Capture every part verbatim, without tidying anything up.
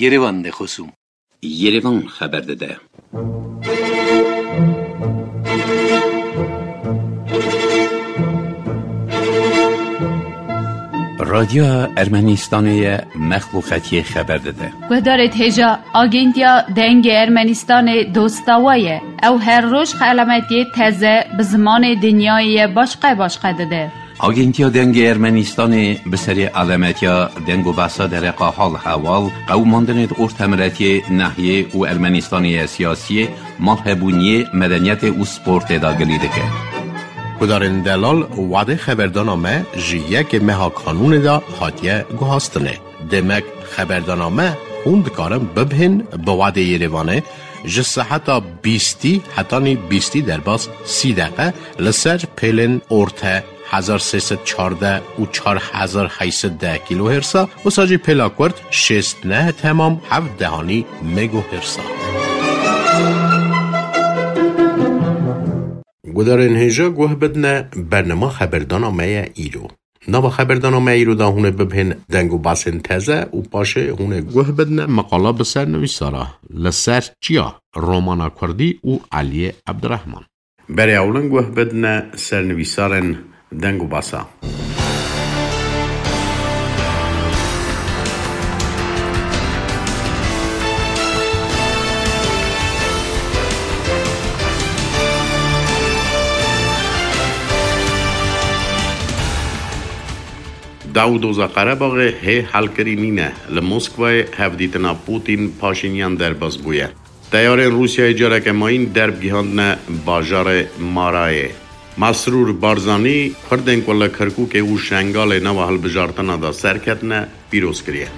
Yerevan de xosûm. Yerevan xeber dide. Radyoya Ermenistanê ye, mexluqetiyê xeber dide. Guhdarê hêja, Agentiya Dengê Ermenistanê dosta we ye. Ew her roj xelametiyê teze bi zimanê dinyayê ye başqe başqe dide. Agentiya Dengê Ermenistanê bi serê alemetiya deng û behsa dereqa hal hewal, qewimandinê di ortemiletiyê, nehiyê û Ermenistanê ye siyasiyê, malhebûniyê, medeniyetê û sportê de gilî dike. Gudarên delal, wadê xeberdana me ji yekê meha kanûnê de hatiye guhastinê. Demek xeberdana me hûn dikarin bibihên bi wadê Yerevanê ji seheta bîstî hetanî bîstî derbas sî deqe li ser pêlên orte hezar sê sed çardeh û çar hezar heyt sed deh kîlohêrsa, wisa jî pêla kurt şêst neh temam heft dehanî megohêrsa. Gudarên hêja guh bidine bernama xeberdana me ye îro. Nava xeberdana me îro de hûn ê bibihên deng û basên teze û paşê hûn ê guh bidine meqala bi ser nivîsara li ser çiya romana kurdî û Eliyê Ebdirehman. Berê ewlin guh bidine sernivîsarên deng û basa. Daw û doza Qerebaxê hê helkirî nîne. Li Moskwayê hevdîtina Putin Paşinyan derbas bûye. Teyarên Rûsyayê careke mayîn derb gihandine bajarê Marayê. Mesrûr Barzanî Kurdên ku li Kirkûkê û Şengalê nava hilbijartina de serketine pîroz kiriye.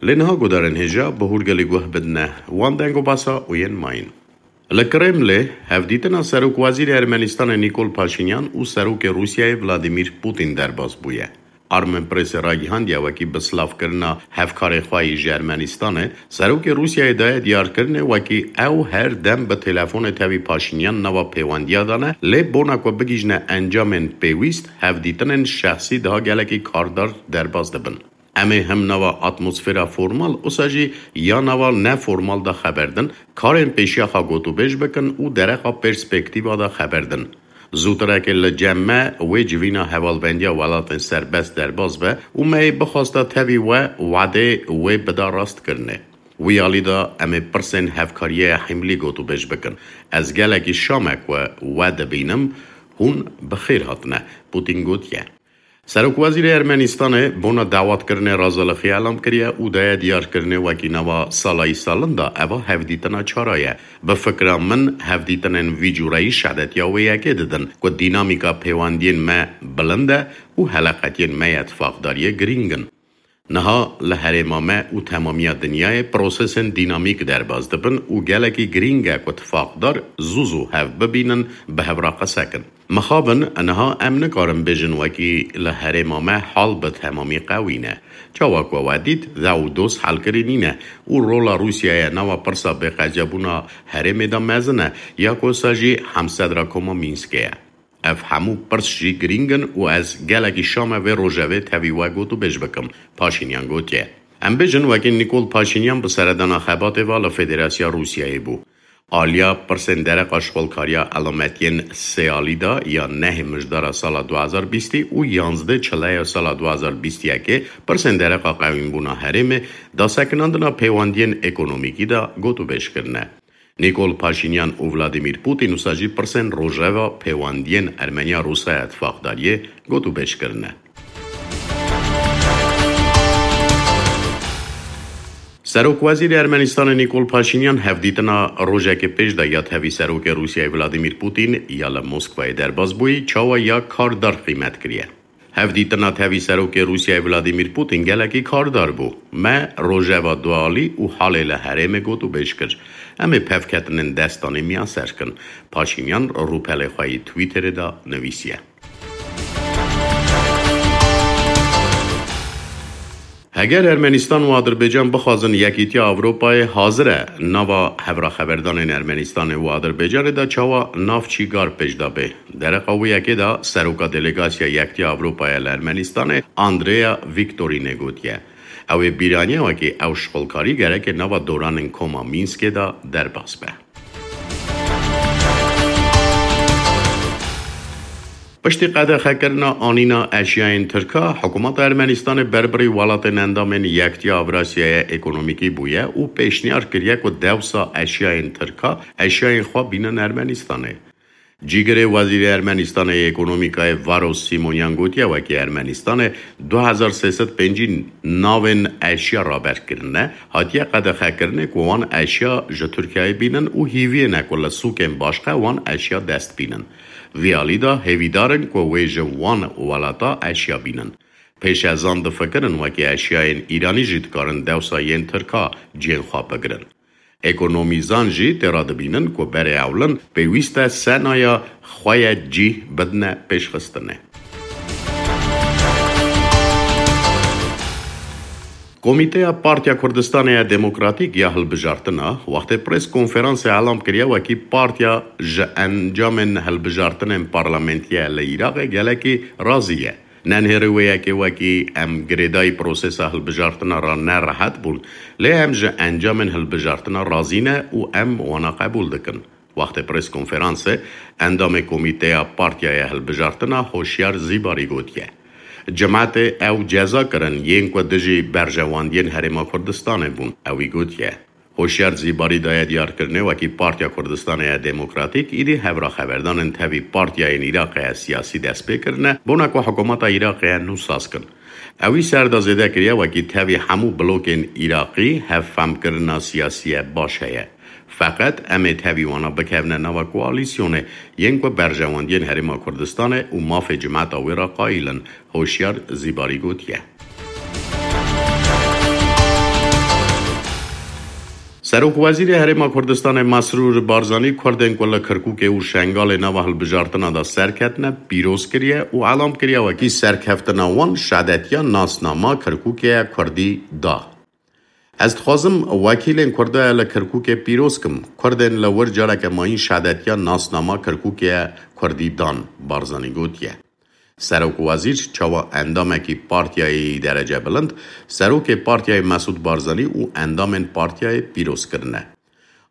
Lê niha gudarên hêja bi hûrgelî guh bidine wan deng û basa û yên mayîn. Li Kremlê hevdîtina Serokwezîrê Ermenistanê Nîkol Paşinyan û Serokê Rûsyayê Vladimîr Putin derbas bûye. Armenpressê ragihandiye wekî bi silavkirina hevkarê xwe yî ji Ermenistanê, Serokê Rûsyayê daye diyarkirinê wekî ew her dem bi telefonê tevî Paşinyan nava pêwendiya de ne, lê bona ku bigihîjine encamên pêwîst, hevdîtinên şexsî daha gelekî kardar derbas dibin. Em ê him nava atmosfera formal, usa jî ya nava neformal de xeber din, karên pêşiya xwe gotûbêj bikin û dereqa perspektîva de xeber din. Zûtireke li cem me wê civîna hevalbendiya welatên serbest derbas be û me yê bixwesta tevî we wadê wê bida rastkirinê. Wî alî de em ê pirsên hevkariyê ya hîmlî gotûbêj bikin. Ez gelekî şam e ku we dibînim, hûn bi xêr hatine, Putin gotiye. Serokwezîrê Ermenistanê bona dawatkirinê razalixiya elam kiriye û daye diyarkirinê wekî nava salayî salin de eva hevdîtina çara ye. Bi fikra min, hevdîtinên vî cûreyî şedetiya wê yekê didin ku dînamîka pêwendiyên me bilind e û heleqetiyên me ya tifaqdariyê girîng in. Niha li herêma me û temamiya dinyayê prosesên dînamîk derbas dibin û gelekî girîng e ku tifaqdar zû zû hev bibînin, bi hev re qise kin. Mixabin, niha em nikarin bêjin wekî li herêma me hal bi temamî qewî ne. Çawa ku we dît, dew û doz helkirî nîne û rola Rûsyayê nava pirsa bêqecebûna herêmê de mezin e, ya ku wisa jî hemsedra koma Mînskê ye. Ev hemû pirs jî girîng in û ez gelekî şam e vê rojevê tevî we gotûbêj bikim, Paşînyan gotiye. Em bêjin wekî Nîkol Paşînyan bi seredana xebatê ve li Federasya Rûsyayê bû. Aliya pirsên dereqa şixulkariya elametiyên sê alî de ya nehê mijdara sala du hezar bîstî û yanzdeh çileya sala du hezar bîst yekê pirsên dereqa qewînbûna herêmê, dasekinandina pêwendiyên ekonomîkî de gotûbêj kirine. Nîkol Paşînyan û Vladimîr Putin wisa jî pirsên rojeva pêwendiyên Ermeniya Rûsaya Tifaqdariyê gotûbêj kirine. Serokwezîrê Ermenistanê Nîkol Paşînyan hevdîtina rojekê pêş de ya tevî Serokê Rûsyayê Vladimîr Putin ya li Moskwayê derbas bûyî çawa ya kardar qîmet kiriye. Hevdîtina tevî Serokê Rûsyayê Vladimîr Putin gelekî kardar bû. Me rojeva dualî û halê li herêmê gotûbêj kir. Em ê pevketinên destanê miyaser kin. Paşînyan rûpelê xwe yê Twitterê de nivîsiye. Heger Ermenistan û Adirbaycan bixwazin Yekîtiya Ewropayê hazir e nava hevraxeberdanên Ermenistanê û Adirbaycanê de çawa navçîgar pêş de bê. Dereqa wê yekê de seroka delegasya Yekîtiya Ewropayê li Ermenistanê Andrea Viktorînê gotiye, ew ê bîraniye wekî ew şixulkarî gereke nava doranên koma Mînskê de derbas be. Piştî qedexekirina anîna eşyayên Tirka, hikûmeta Ermenistanê berbirî welatên endamên Yektiya Ewrasyaya Ekonomîkî bûye û pêşniyar kiriye ku dewsa eşyayên Tirka eşyayên xwe bînin Ermenistanê. Cîgirê Wezîrê Ermenistanê yê Ekonomîkayê Varos Simonyan gotiye, wekî Ermenistanê du hezar sê sed pêncî navên eşya raber kirine, hatiye qedexekirinê ku wan eşya ji Tirkiyeyê bînin û hîviyê ne ku li sûkên başqe wan eşya dest bînin. Vî alî de hêvîdar in ku wê ji wan welata eşya bînin. Pêşezan difikirin wekî eşyayên Îranî jî dikarin dewsa yên Tirka cihên xwe bigirin. Ekonomîzan jî tê re dibînin ku berê ewlin pêwîst e senaya xwe ye cîh bidine pêşxistinê. Komîteya Partiya Kurdistanê ya Demokratîk ya Hilbijartina wextê prês konferansê elam kiriye wekî partiya ji encamên hilbijartinên parlamentî ye li Iraqê gelekî razî ye. Nenhêrî wê yekê wekî em girêdayî prosesa hilbijartina re ne rehet bûn, lê em ji encamên hilbijartina razî ne û em wana qebûl dikin. Wextê prês konferansê endamê komîteya Partiyaya Hilbijartina Hoşyar Zîbarî gotiye, Cimetê ew ceza kirin yên ku dijî berjewendiyên Herêma Kurdistanê bûn. Ewî gotiye, Hoşyar Zîbarî daye diyarkirinê wekî Partiya Kurdistanê ya Demokratîk îdî hevraxeberdanên tevî partiyayên Iraqê ya siyasî dest pê kirine, bona ku hikûmeta Iraqê ya nû saz kin. Ewî ser de zêde kiriye wekî tevî hemû blokên Iraqî hevfemkirina siyasî ye baş heye. Feqet em ê tevî wana bikevine nava koalîsyonê yên ku berjewendiyên Herêma Kurdistanê û mafê cimeta wê re qayîl in, Hoşyar Zîbarî gotiye. Serokwezîrê Herêma Kurdistanê Mesrûr Barzanî Kurdên ku li Kirkûkê û Şengalê nava hilbijartina de serketine pîroz kiriye û elam kiriye wekî serkeftina wan şedetiya nasnama Kirkûkê ye Kurdî da. Ez dixwazim wekîlên Kurdaya li Kirkûkê pîroz kim. Kurdên li wir careke mayîn şedetiya nasnama Kirkûkê ye Kurdî dan, Barzanî gotiye. Serokwezîr çawa endamekî partiyayê yî derece bilind, serokê partiyayê Mesûd Barzanî û endamên partiyayê pîroz kirine.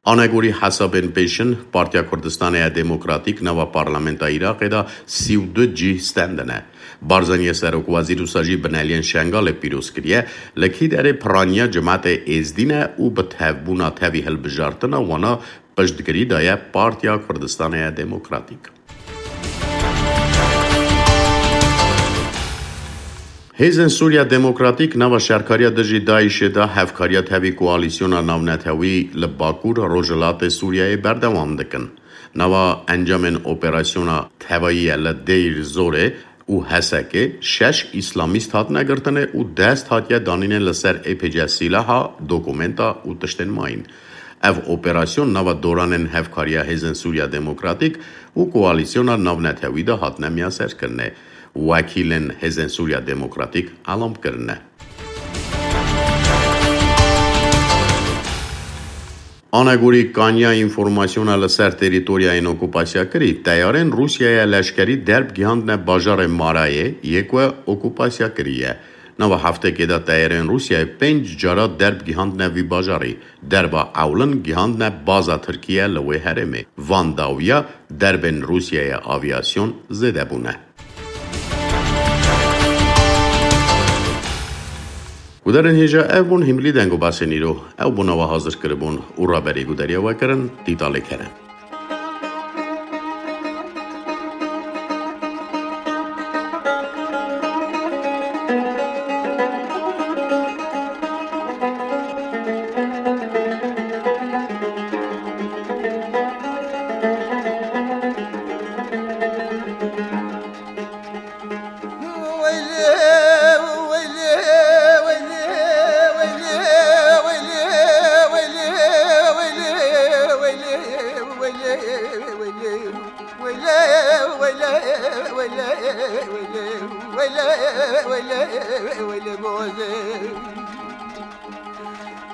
Anegorî hesabên pêşin, Partiya Kurdistanê ya Demokratîk nava Parlamenta Iraqê de sî û du cîh stendine. Barzaniyê serokwezîr wisa jî bineliyên Şengalê pîroz kiriye, li kîderê piraniya cimetê Êzdî ne û bi tevbûna tevî hilbijartina wana piştgirî daye Partiya Kurdistanê ya Demokratîk. Hêzên Sûriya Demokratîk nava şerkariya dijî DAIŞê de hevkariya tevî koalîsyona navnetewî li Bakur Rojhilatê Sûriyeyê berdewam dikin. Nava encamên operasyona tevayî ye li Deir Zorê û Hesekê şeş îslamîst hatine girtinê û dest hatiye danînê li ser ê pê ce sîlaha, dokumenta û tiştên mayîn. Ev operasyon nava doranên hevkariya Hêzên Sûriya Demokratîk û Koalîsyona Navnetewî de hatine miyaserkirinê. Wekîlên Hêzên Sûriya Demokratîk elam kirine. Anegorî kaniya înformasyona li ser terîtoryayên okûpasyakirî, teyarên Rûsyaya leşkerî derb gihandine bajarê Marayê yê ku okûpasya kirî ye. Nava heftekê de teyarên Rûsyayê pênc cara derb gihandine vî bajarî. Derba ewlin gihandine baza Tirkiye li wê herêmê. Van dawiya derbên Rûsyaya aviyasyon zêde bûne. Gudarên hêja ev bûn hîmilî deng û basên îro. Ew bûna we hazir kiribûn û raberî gudariya we kirin, Dîtalê Kerem.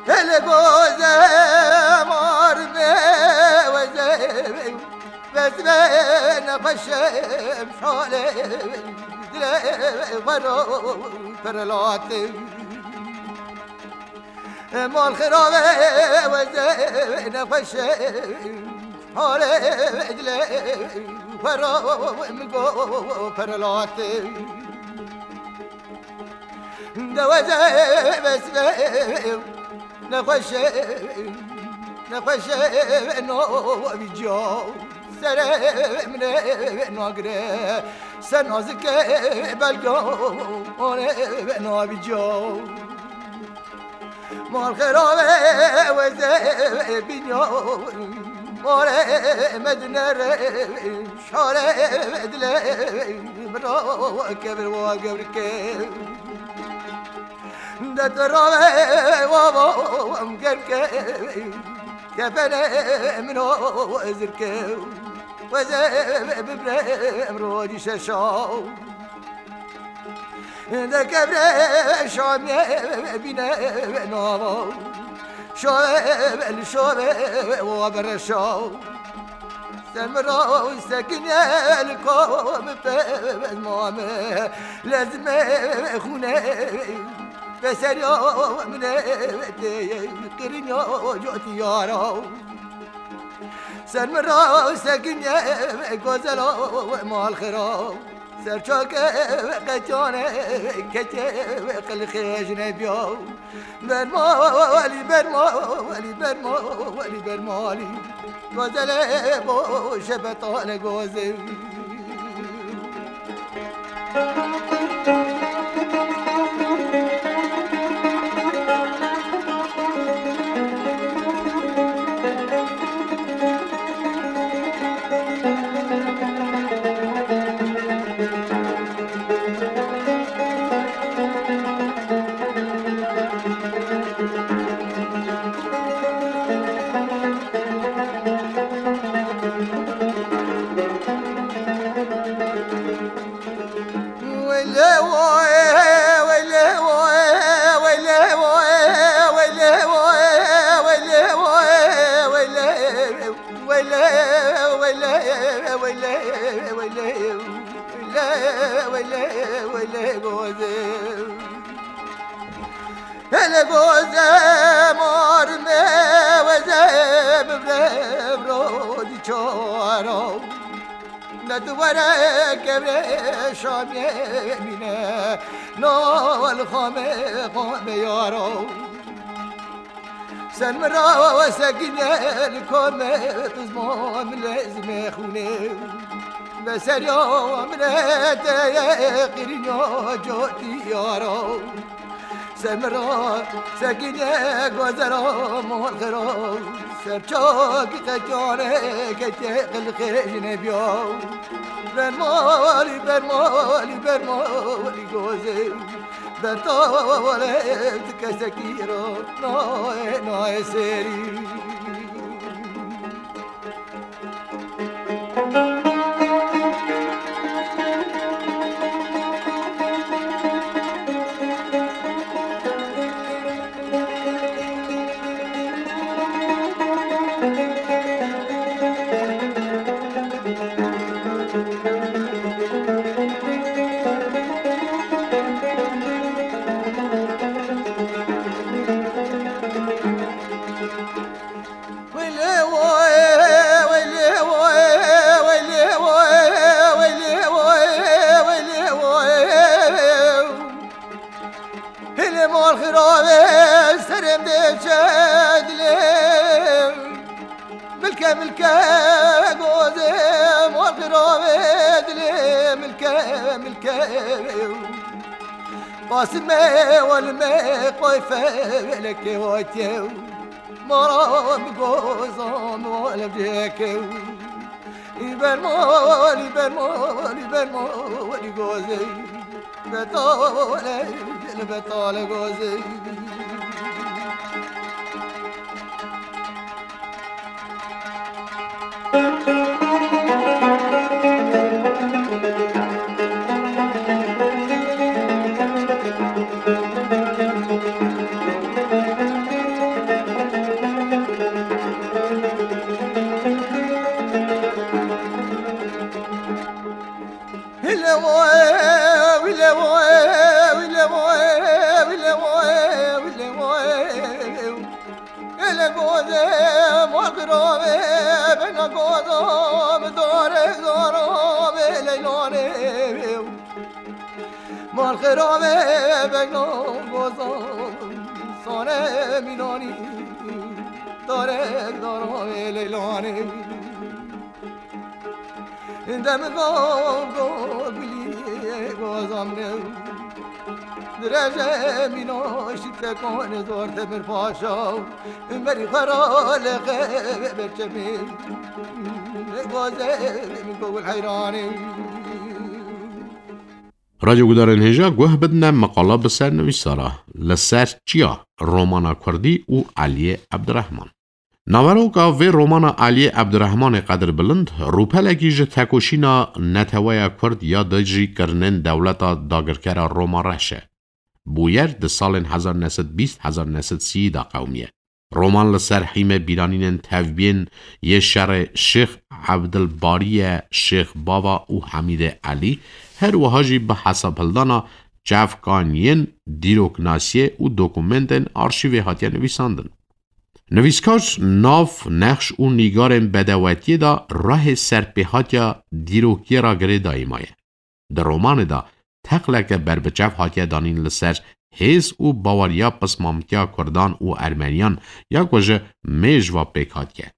Hele goze mar me weze, wezve nexweşe şale, dile wero perelate. Mal xirabe weze nexweşe, hale dile wero min go perelate. De weze wezve nexweşe, nexweşe no vîca. Sere min nagire, ser nazike belga, one navîca. Mal xerabe weze bînya, more medine re, şare dile min ra kevir wa gewrike. De tu rabe wa wa em gerke, kefene min o zirke. Weze bibre em rojî şeşa. De kevre şamiye bîne nava. Şove li şove wa bereşa. Ser min ra sekiniye li kom pez mame. Lezme xûne ve seriya min tê qirinya cotiyara. Ser min ra sekiniye gozela mal xira. Serçake qetane kete qilxêj nebiya. Bermalî, bermalî, bermalî, bermalî. Gozele bo şebetale goze. Hele goze mar me weze bibre rojî çara. Ne tu were kevre şamê mîne, no li xame xame yara. Sen min ra sekine li kome, tu zman min lezme xûne. Be seriya min e te ye qirînya cotî yara. Ser min ra sekine gozera mal xera. Ser çak qekane kete qilxê jine biya. Bermalî, bermalî, bermalî goze. Betale tu kesekî ra nayê, nayê serî. Hilê mal xirabe serê min dê çe dilê. Milke milke gozê mal xirabe dilê, milke milke. Qasime welime qoyfe weleke watiye. Mara bi gozan welem ceke. Î bermalî, bermalî, bermalî gozê. Betale, li betale gozê. Ele goze malxirove bena gozo dore zoro bele lore. Malxirove bena gozo sone minoni dore zoro bele lore. Dem go go gulî gozam ne. Direce mîno şite kone zor demir paşa. Meri xera lexe berçemi. Goze mi gogul heyranê. Radyo gudarên hêja guh bidine meqala bi ser nivîsara. Li ser çiya romana Kurdî û Aliyê Ebdirehman. Naveroka vê romana Aliyê Ebdirehmanê Qedirbilind rûpelekî ji tekoşîna neteweya Kurd ya dijî kirinên dewleta dagirkera Roma reş e. Bûyer di salên hezar neh sed bîst hezar neh sed sî de qewimiye. Roman li ser hîmê bîranînên tevbiyên yê şerê Şêx Ebdilbariye, Şêx Bava û Hemîdê Elî, her wiha jî bi hesabhildana çavkaniyên dîroknasiyê û dokumentên arşîvê hatiye nivîsandin. Nivîskar nav, nexş û nîgarên bedewetiyê de rehê serpêhatiya dîrokiyê re girêdayî maye. Di romanê de teqleke berbiçav hatiye danîn li ser hêz û baweriya pismamtiya Kurdan û Ermeniyan ya ku ji mêj ve pêk hatiye.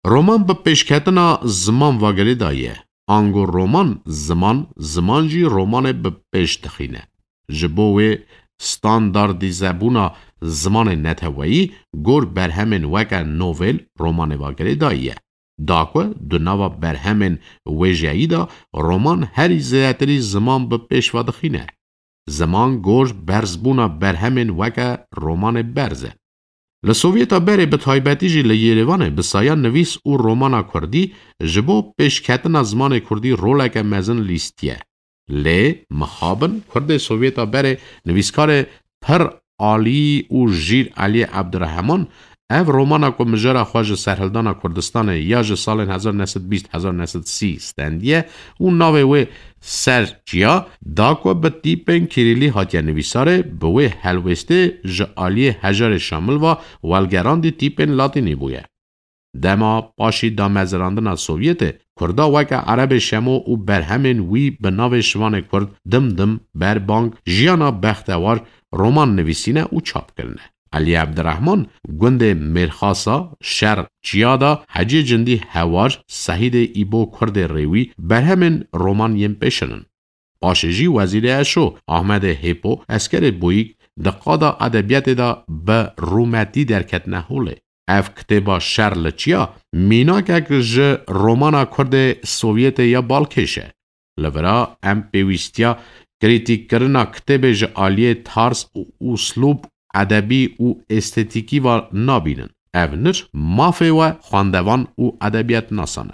Roman bi pêşketina ziman ve girêdayî ye. Ango roman ziman, ziman jî romanê bi pêş dixîne. Ji bo wê standardîzebûna zimanê neteweyî gor berhemên weke novel romanê ve girêdayî ye. Da ku di nava berhemên wêjeyî de roman herî zêdetirî ziman bi pêş ve dixîne. Ziman gor berzbûna berhemên weke romanê berz e. Li Sovyeta berê bi taybetî jî li Yêrêvanê bi saya nivîs û romana kurdî ji bo pêşketina zimanê kurdî roleke mezin lîstiye. Lê mixabin Kurdê Sovyeta berê nivîskarê pir alî û jîr Eliyê Ebdirehman ev romana ku mijara xwe ji serhildana Kurdistanê ya ji salên hezar neh sed bîst hezar neh sed sî stendiye û navê wê Ser Çiya da ku bi tîpên kîrîlî hatiye nivîsarê, bi wê helwêstê ji aliyê hejarê Şamil ve welgerandî tîpên latînî bûye. Dema paşî damezirandina Sovyetê, Kurda weke Erebê Şemo û berhemên wî bi navê Şivanê Kurd dim dim, berbang, jiyana bextewar, roman nivîsîne û çap kirine. Elî Ebdirehman gundê Mêrxasa, Şer Çiya de, Hecê Cindî Hewar, Sehîdê Îbo Kurdê Rêwî berhemên roman yên pêşin in. Paşê jî Wezîrê Eşo, Ahmedê Hêpo, Eskerê Boyîk di qada edebiyatê de bi rûmetî derketine holê. Ev kitêba Şer li Çiya mînakek ji romana Kurdê Sovyetê ya balkêş e. Li vira em pêwîstiya krîtîkkirina kitêbê ji aliyê tarz û uslûb edebî û estetîkî ve nabînin. Ev nir mafê we xwendevan û edebiyatnasan e.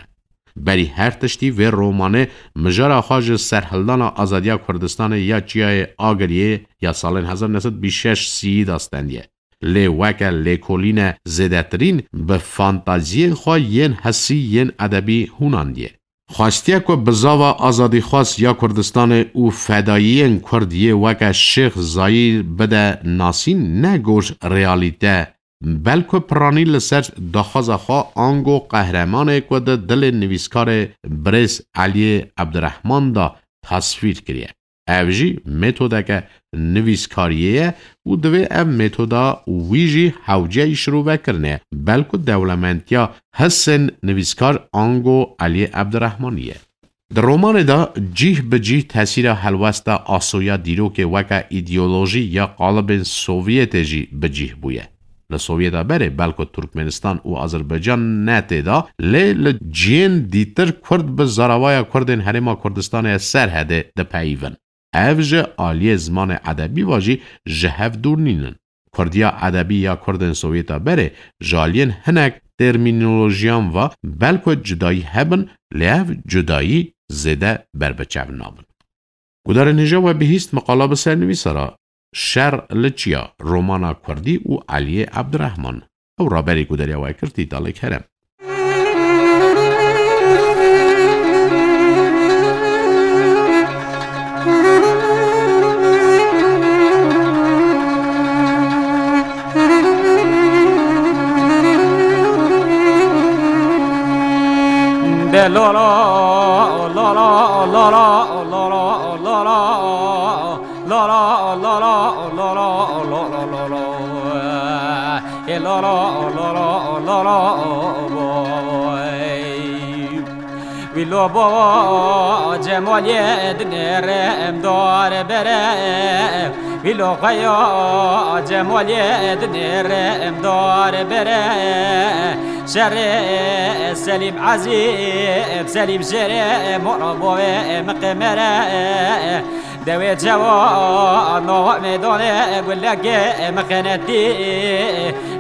Berî her tiştî vê romanê mijara xwe ji serhildana azadiya Kurdistanê ya Çiyayê Agiriyê ya salên hezar neh sed bîst şeş sî de stendiye. Lê weke lêkolîne zêdetirîn bi fantaziyên xwe yên hisî yên edebî hûnandiye. Xwestiye ku bizava azadîxwaz ya Kurdistanê û fedayiyên Kurd yê weke Şêx Zayîr bide nasîn ne gor realîte, belku piranî li ser daxwaza xwe ango qehremanê ku di dilê nivîskarê birêz Eliyê Ebdirehman de tasvîr kiriye. Ev jî metodeke nivîskariyê ye û divê ev metoda wî jî hewceyî şirovekirinê ye, belku dewlementiya hisên nivîskar ango Eliyê Ebdirehmanî ye. Di romanê de cîh bi cîh tesîra helwesta asoya dîrokê weke îdeolojî ya qalibên Sovyetê jî bi cîh bûye. Li Sovyeta berê belku Turkmenistan û Azerbaycan ne tê de, lê li cihên dîtir Kurd bi zaravaya Kurdên Herêma Kurdistanê Serhedê dipeyivin. Ev ji aliyê zimanê edebî ve jî ji hev dûr nînin. Kurdiya edebî ya Kurdên Sovyeta berê ji aliyên hinek termînolojiyan ve belku cudayî hebin, lê ev cudayî zêde berbiçav nabin. Gudarên hêja we bihîst meqala bi sernivîsa re Şer li Çiya, romana Kurdî û Eliyê Ebdirehman. Ew raberî gudariya we kir Tîtalê Kerem. Lo lo, lo lo, lo lo, lo lo, lo lo, lo lo, lo lo, lo lo, lo lo, lo lo, lo lo, e lo lo, lo lo, lo lo, boy. Wî lo bo Cemalê dinêre em dare bere. Wî lo xeya Cemalê dinêre em dare bere. Şerê Selîm Ezîz, Selîm Şerê, mora bovê miqemere. Dewê cewa nava meydanê gulekê mixenetî.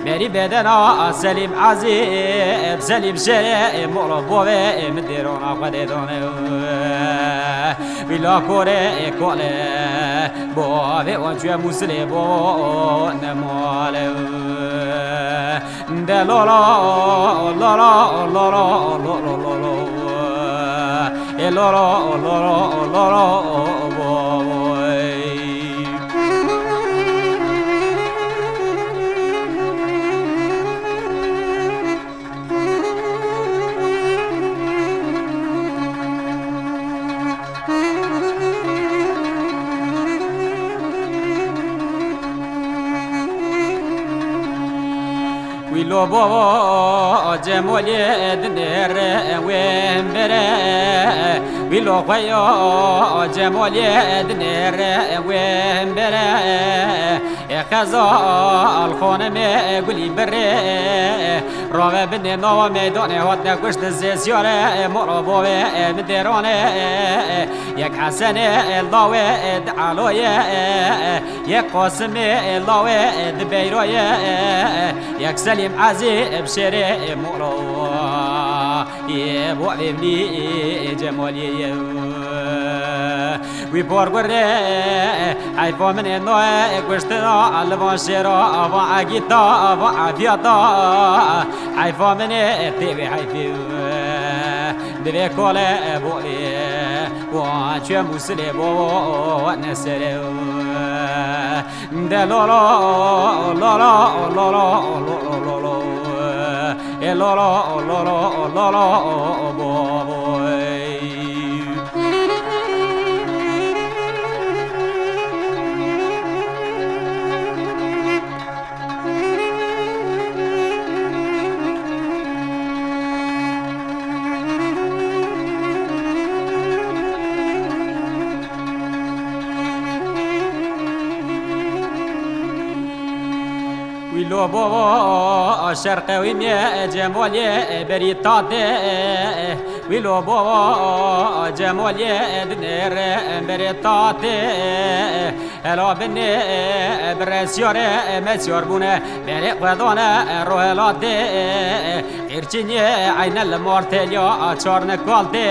Berî bedena Selîm Ezîz, Selîm Şerê, mora bovê min dêrona xwe dê dane. Wî la korê kole, bovê wan çûye Mûsilê bo nemale. De lo lo, lo lo, lo lo, lo lo, lo lo. E lo lo, lo lo, lo lo, bo, bo, e. Wî lo bo Cemalê dinêre wê bere. Wî lo xweya Cemalê dinêre wê bere. E xezal xonimê gulî birê. Rave binê nava meydanê hatine kuştin zê siyare, mora bovê min dêrane. Yek Hesenê lawê di Eloyê, yek Qasimê lawê di Beyroyê, yek Selîm Ezî bi Şêrê mora. Yê bo evlî Cemaliyê ye. Wî por gurê, heyfa min ê noye kuştina, li van şêra, van egîta, van efiyata. Heyfa min ê tê vê heyfê. Divê kole bo ê, wan çûye Mûsilê bo nesere. De lo lo, lo lo, lo lo, lo lo, lo lo. E lo lo, lo lo, lo lo, bo, bo, e. Wî lo bo şerqe wî mê Cemalê berî tatê. Wî lo bo Cemalê dinêre berê tatê. Hela binê bi resyarê mesyar bûne, berê xwedane rohelatê. Qîrçînê eyne li mar têliya çarne kaltê.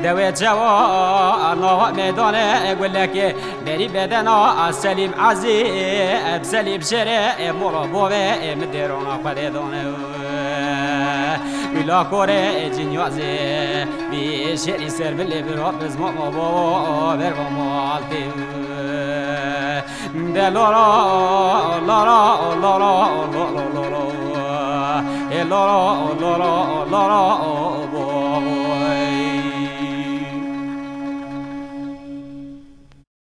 Dewê çewa nava meydanê gulekê. Berî bedena Selîm Ezî, Selîm Şêrê, mora bovê min dêrona xwedê dane. Wî la korê Cinyazê, vî şêrî ser bilê bira bizma ma bo, ver bo maltê. De lo lo, lo lo, lo lo, lo lo, lo lo. E lo lo, lo lo, lo lo, bo, bo, e.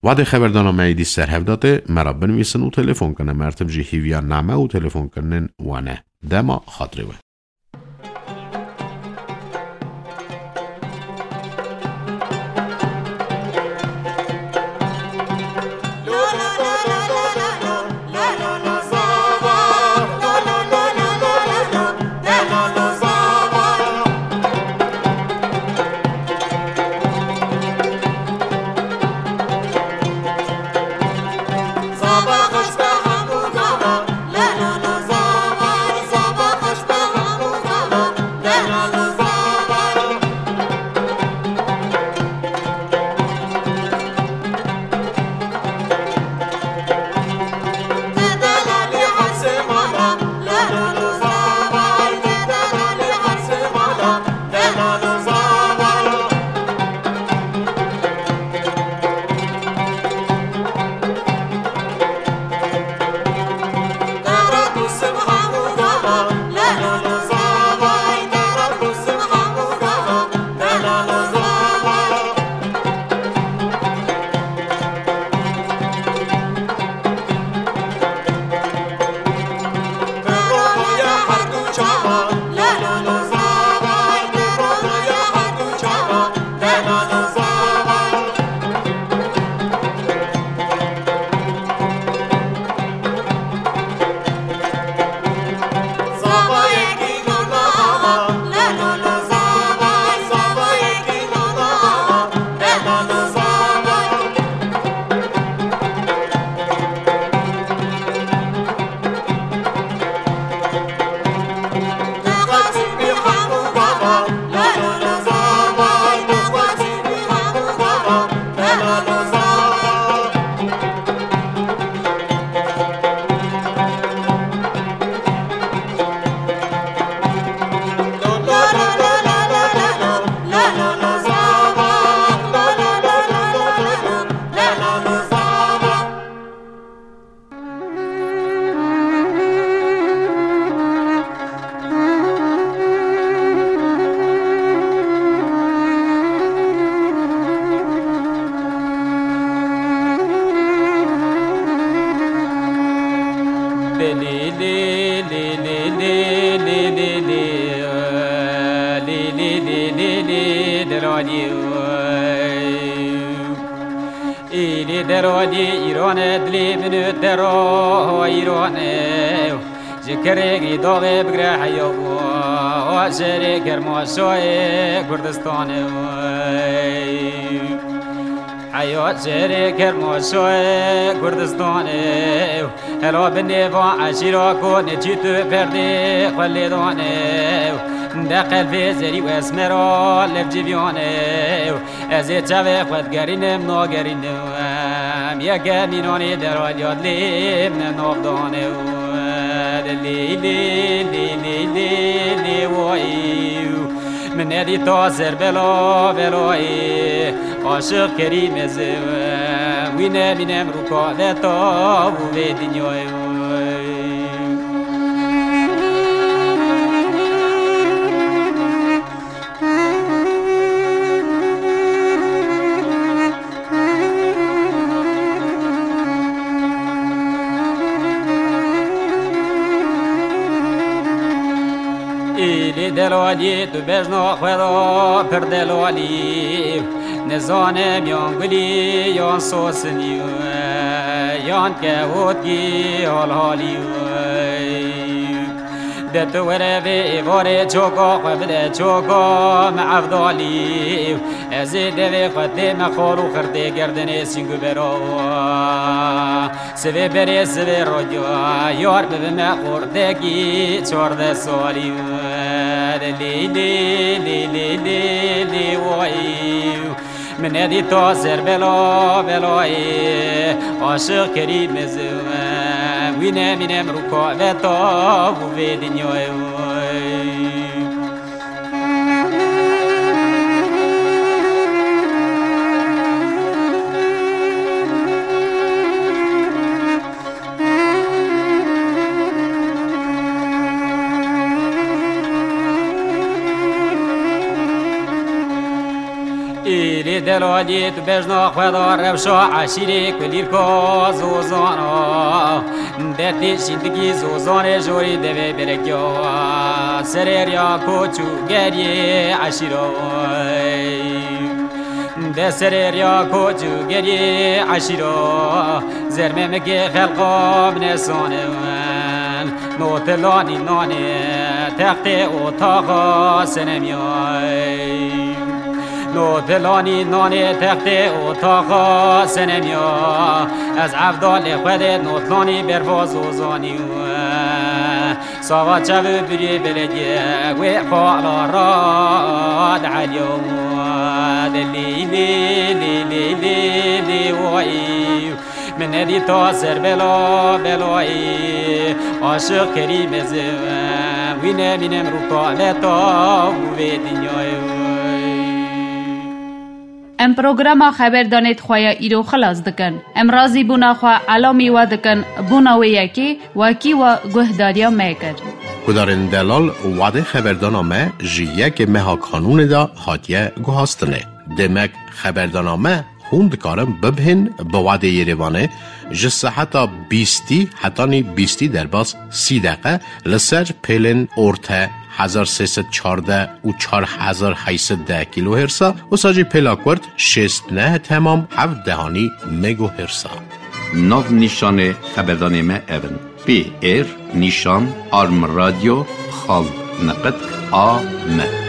Wadê xeberdana me êdî ser hev datê, me ra binivîsin û telefon kine. Mertib jî hîviya name û telefonkirinên we ne. Dema xatirê we. Îlî delalî îrane, dilê min û dera îrane. Ji kerêgî daxê bigre heya û şerê Kermaşayê Kurdistanê. Heya şerê Kermaşayê Kurdistanê. Hela binê van eşîra ku neçî tu perdê xwe lê danê. De qelbê zerî û esmera lev civiyane. Ez ê çavê xwe digerînim, nagerînim. Yeke mînanê deraliya dilê min navdane. Lê, lê, lê, lê, lê, lê, wayî. Min nedîta ser bela, belayê. Aşiq Kerîm ez im. Wî nemînem rûka veta û vê dinyayê. Îlî delalî tu bejna xwe da pir delalî. Nizanim yan gulî yan sosinî yan kehotkî halhalî. De tu were vê êvarê çoka xwe bide çoka me evdalî. Ez ê devê xwe tê me xal û xirtê gerdinê sîng û bera. Sivê berê sivê roca yar bibime xortekî çardeh salî. Lê, lê, lê, lê, lê, lê, wayî. Min nedîta ser bela, belayê. Aşiq Kerîm ez im. Wî nemînem rûka veta û vê dinyayê. Îlî delalî tu bejna xwe da rewşa eşîrê kulîrka zozana. Dertê şîndikî zozanê jorî devê berekya. Serê riya koç û geriyê eşîra. De serê riya koç û geriyê eşîra. Zermemikê xelqa binesanin. Notilanî nanê textê otaxa senemiyay. Notilanî nanê textê otaxa senemya. Ez evdalê xwe dê notlanî berva zozanî. Sava çav û birê belediye wê xala rad eliyo. Lê, lê, lê, lê, lê, lê, wayî. Min nedîta ser bela, belayî. Aşiq Kerîm ez im. Wî nemînem rûka veta û vê dinyayê. Em programa xeberdanê di xwe ya îro xilas dikin. Em razîbûna xwe elamî we dikin, bûna wê yekê wekî we guhdariya me kir. Guhdarên delal, wadê xeberdana me ji yekê meha Kanûnê de hatiye guhastinê. Demek xeberdana me hûn dikarin bibihên bi wadê Yerêvanê ji seheta bîstî hetanî bîstî derbas sî deqe li ser pêlên orte hezar sê sed çardeh û çar hezar heyt sed deh kîlohêrsa, wisa jî pêla kurt şêst neh temam heft dehanî megohêrsa. Nav nîşanê xeberdanê me ev in: P R nîşan arm radyo xal niqit A M.